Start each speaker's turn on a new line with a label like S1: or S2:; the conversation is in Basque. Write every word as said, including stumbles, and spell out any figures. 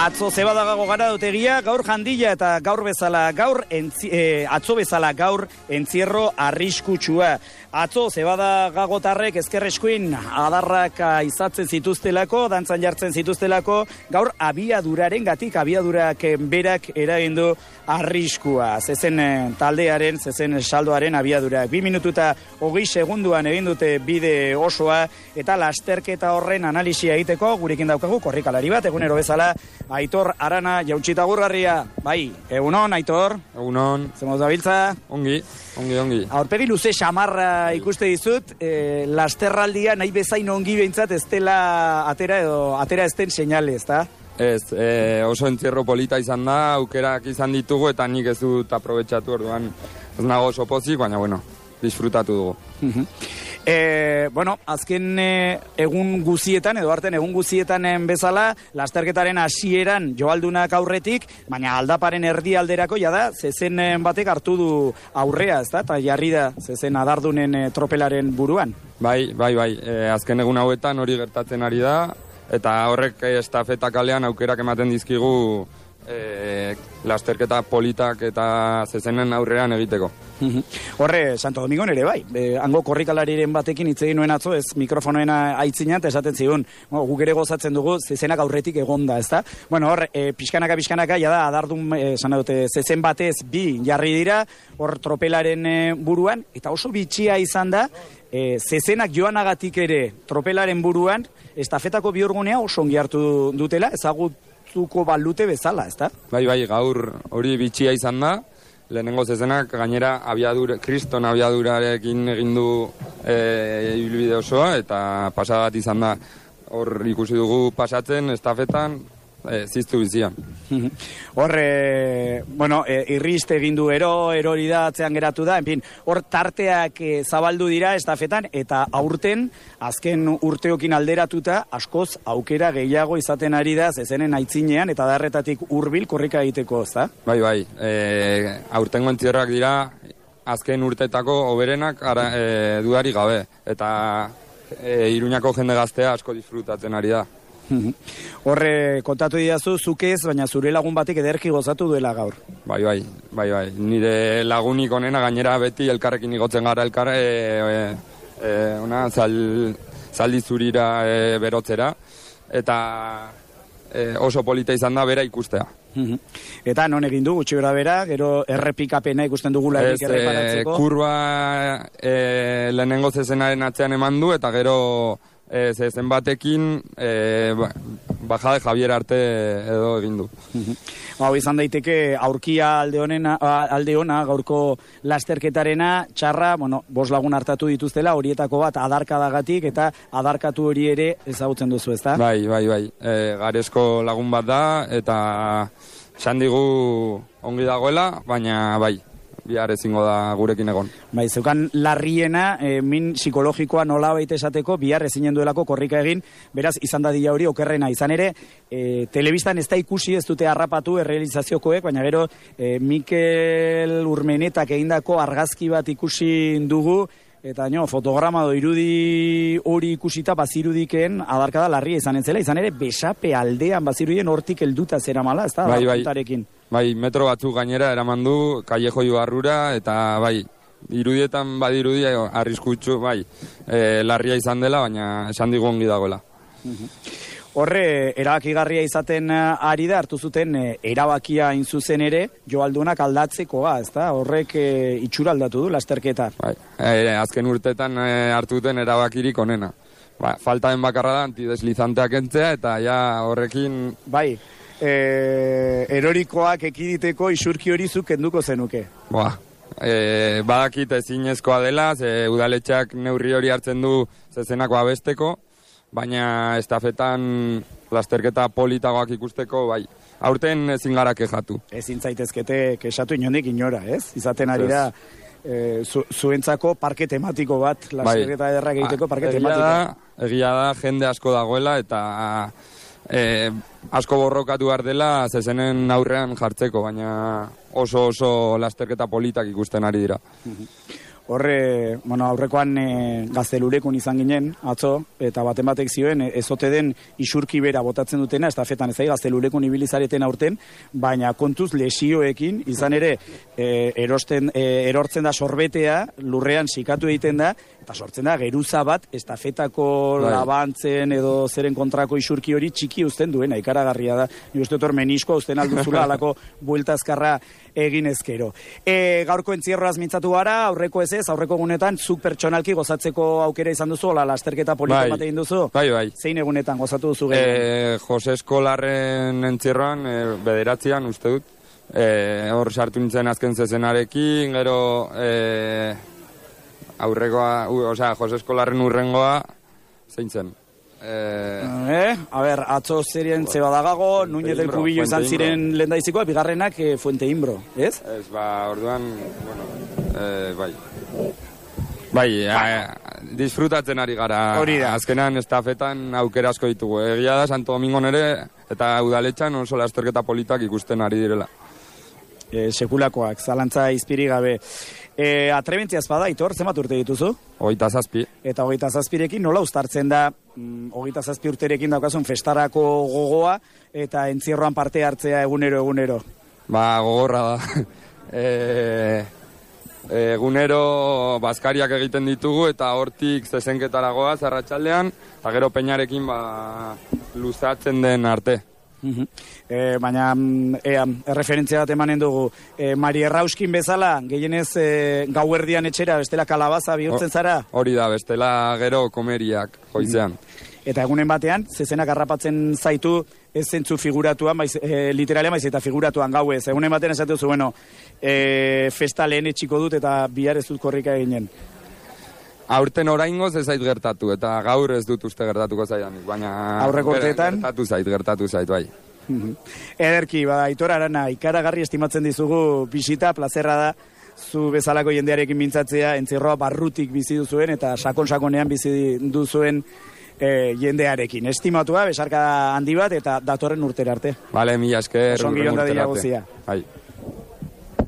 S1: Atzo zebadagago gara dutegia, gaur jandila eta gaur bezala gaur, entzi, eh, atzo bezala gaur entzierro arriskutsua. Atzo zebadagagotarrek ezkerreskuin adarrak izatzen zituztelako, dantzan jartzen zituztelako, gaur abiaduraren gatik, abiadurak berak eragindu arriskua. Zezen taldearen, zezen saldoaren abiadurak. Bi minututa hogei segunduan egin dute bide osoa, eta lasterketa horren analisia egiteko, gurekin daukagu korrikalari bat, egunero bezala, Aitor Arana Jautxita Gurgarria. Bai, egunon, Aitor.
S2: Egunon.
S1: Zemoz dabiltza?
S2: Ongi, ongi, ongi.
S1: Aurpegi luze xamarra ikuste dizut, e, lasterraldia nahi bezain ongi behintzat ez dela atera edo atera ezten seinale, ezta?
S2: Ez, e, oso entzierro polita izan da, aukerak izan ditugu eta nik ez dut aprobetxatu orduan. Ez nago oso pozik, baina bueno, disfrutatu dugu.
S1: E, bueno, azken e, egun guzietan, edo arten egun guzietan bezala, lasterketaren hasieran joaldunak aurretik, baina aldaparen erdialderako jada, zezen batek hartu du aurrea, ezta? Eta jarri da zezen adardunen e, tropelaren buruan.
S2: Bai, bai, bai, e, azken egun hauetan hori gertatzen ari da, eta horrek estafeta kalean aukerak ematen dizkigu e, lasterketa politak eta zezenen aurrean egiteko.
S1: Horre, Santo Domingon ere bai, e, hango korrikalariren batekin hitz egin nuen atzo, ez mikrofonoena aitzinat, esaten zigun, bueno, guk ere gozatzen dugu, zezenak aurretik egonda, ezta? Bueno, hor, e, pixkanaka, pixkanaka, jada, adardun, e, sana dute, zezen batez bi jarri dira, hor tropelaren e, buruan, eta oso bitxia izan da, e, zezenak joanagatik ere tropelaren buruan, estafetako bihurgunea oso ongi hartu dutela, ezagutuko balute bezala, ezta?
S2: Bai, bai, gaur hori bitxia izan da, lehenengo zezenak gainera abiadur, kriston abiadurarekin egin du e, ibilbide osoa, eta pasagat izan da. Hor ikusi dugu pasatzen, estafetan, e, ziztu bizian.
S1: Hor, e, bueno, e, irriste egin du ero, erori da, atzean geratu da, en fin, hor tarteak e, zabaldu dira estafetan, eta aurten, azken urteokin alderatuta, askoz aukera gehiago izaten ari da, zezenen aitzinean, eta darretatik hurbil korrika egiteko, ezta?
S2: Bai, bai, e, aurtengo entzierrak dira, azken urtetako hoberenak ara, e, dudari gabe, eta e, Iruñako jende gaztea asko disfrutatzen ari da.
S1: Horre, kontatu didazu, zuk ez, baina zure lagun batek ederki gozatu duela gaur.
S2: Bai, bai, bai, bai. Nire lagunik onena gainera beti elkarrekin igotzen gara elkar, e, e, e, una, zal, zaldi zurira e, berotzera, eta e, oso polita izan da bera ikustea.
S1: Eta non egin du, gutxi bera bera, gero errepikapena ikusten dugula
S2: ez, erreparatzeko? E, kurba e, lehenengo zezenaren atzean eman du, eta gero e, zezen batekin e, bajade Javier arte edo egin du.
S1: Hau izan daiteke aurkia alde honena, alde ona gaurko lasterketarena, txarra, bueno, bost lagun hartatu dituztela, horietako bat adarkadagatik eta adarkatu hori ere ezagutzen duzu, ezta?
S2: Bai, bai, bai. E, garesko lagun bat da eta esan digu ongi dagoela, baina bai, bihar ezingo da gurekin egon.
S1: Bai, zeukan larriena, e, min psikologikoa nola baita esateko, bihar ezinen duelako korrika egin, beraz, izan dadila hori okerrena. Izan ere, e, telebistan ez da ikusi, ez dute harrapatu errealizaziokoek, baina gero, e, Mikel Urmenetak egindako argazki bat ikusi dugu, eta no, fotograma do irudi hori ikusita bazirudiken adarkada larria izan entzela, izan ere besape aldean bazirudien hortik helduta zera mala, ez da?
S2: Bai, bai, bai, metro batzuk gainera eraman du, Callejo Ibarrura, eta bai, irudietan badirudi arriskutsu, bai, e, larria izan dela, baina esan digu ongi dagoela.
S1: Horre, erabakigarria izaten ari da, hartu zuten e, erabakia inzuzen ere, joaldunak aldatzekoa, ez da? Horrek e, itxura aldatu du, lasterketa.
S2: Bai, e, azken urtetan e, hartu duten erabakirik onena. Ba, falta den bakarra da, antideslizanteak entzea, eta ja horrekin...
S1: Bai, e, erorikoak ekiditeko isurki hori zuk kenduko zenuke.
S2: Ba, e, badakit ezinezkoa dela, ze udaletxeak neurri hori hartzen du zezenako abesteko, baina estafetan lasterketa politagoak ikusteko, bai, aurten ezin gara kexatu.
S1: Ezin zaitezkete kexatu inondik inora, ez? Izaten ari da, e, zu, zuentzako parke tematiko bat, lasterketa bai. Ederrak egiteko parke
S2: egia
S1: tematiko.
S2: Da, egia da, jende asko dagoela, eta e, asko borrokatu behar dela zezenen aurrean jartzeko, baina oso oso lasterketa politak ikusten ari dira.
S1: Horre, bueno, aurrekoan e, Gaztelulekun izan ginen, atzo, eta baten batek zioen, e, ezote den isurki bera botatzen dutena, estafetan ez da, Gaztelulekun ibilizareten aurten, baina kontuz lesioekin, izan ere, e, erosten, e, erortzen da sorbetea, lurrean sikatu egiten da, eta sortzen da, geruza bat, estafetako
S2: bai.
S1: labantzen edo zeren kontrako isurki hori txiki uzten duena, ikaragarria da. Ni uste dut hor meniskoa uzten alduzula, alako bueltazkarra egin ezkero. E, gaurko entzierroaz mintzatu gara, aurreko ez ez, aurreko egunetan, zuk pertsonalki gozatzeko aukera izan duzu, ola, lasterketa polito
S2: bai.
S1: bat egin duzu?
S2: Bai, bai.
S1: Zein egunetan gozatu duzu gehien?
S2: E, Jose Eskolarren entzierroan, e, bederatzean, uste dut, e, hor sartu nintzen azken zezenarekin, gero e, aurrekoa, u, osea, Jose Eskolarren urrengoa, zein zen? Eh,
S1: eh, a ber, atzo zerien zebadagago, Núñez del Cubillo izan ziren lehendaizikoa, bigarrenak eh, Fuente Imbro, ez?
S2: Ez, ba, orduan, bueno, eh, bai. Bai, eh, disfrutatzen ari gara.
S1: Hori da.
S2: Azkenan estafetan aukera asko ditugu. Egia da, Santo Domingo nere, eta udaletxan oso lasterketa politak ikusten ari direla.
S1: E, sekulakoak, zalantza izpiri gabe. E, atrebentziaz bada, Aitor, zenbat urte dituzu?
S2: Hogeita zazpi.
S1: Eta hogeita zazpirekin nola uztartzen da, mm, hogeita zazpi urterekin daukazun festarako gogoa, eta entzierroan parte hartzea egunero, egunero?
S2: Ba, gogorra da. e, egunero bazkariak egiten ditugu, eta hortik zezenketara goaz, arratsaldean, eta gero peñarekin ba, luzatzen den arte.
S1: Uh-huh. E, baina ea, erreferentzia bat emanen dugu e, Mari Errauskin bezala gehienez e, gauerdian etxera bestela kalabaza bihurtzen zara?
S2: Hori da, bestela gero komeriak joizean.
S1: Uh-huh. Eta egunen batean zezenak harrapatzen zaitu ez zentzu figuratuan, baiz, e, literalean baiz eta figuratuan gauez. Egunen batean esatu zu, bueno, e, festa lehen etxiko dut eta bihar ez dut korrika eginen.
S2: Aurten oraingoz ez zait gertatu, eta gaur ez dut uste gertatuko zaidanik, baina...
S1: Aurreko urteetan?
S2: Gertatu zait, gertatu zait, bai.
S1: Ederki, ba, Aitor Arana, ikaragarri estimatzen dizugu bisita, plazerra da, zu bezalako jendearekin mintzatzea, entzierroa barrutik bizi duzuen, eta sakon-sakonean bizi duzuen e, jendearekin. Estimatua, besarka handi bat, eta datorren urtera arte.
S2: Bale, mila esker.
S1: Osongi onda dira guzia.
S2: Bai.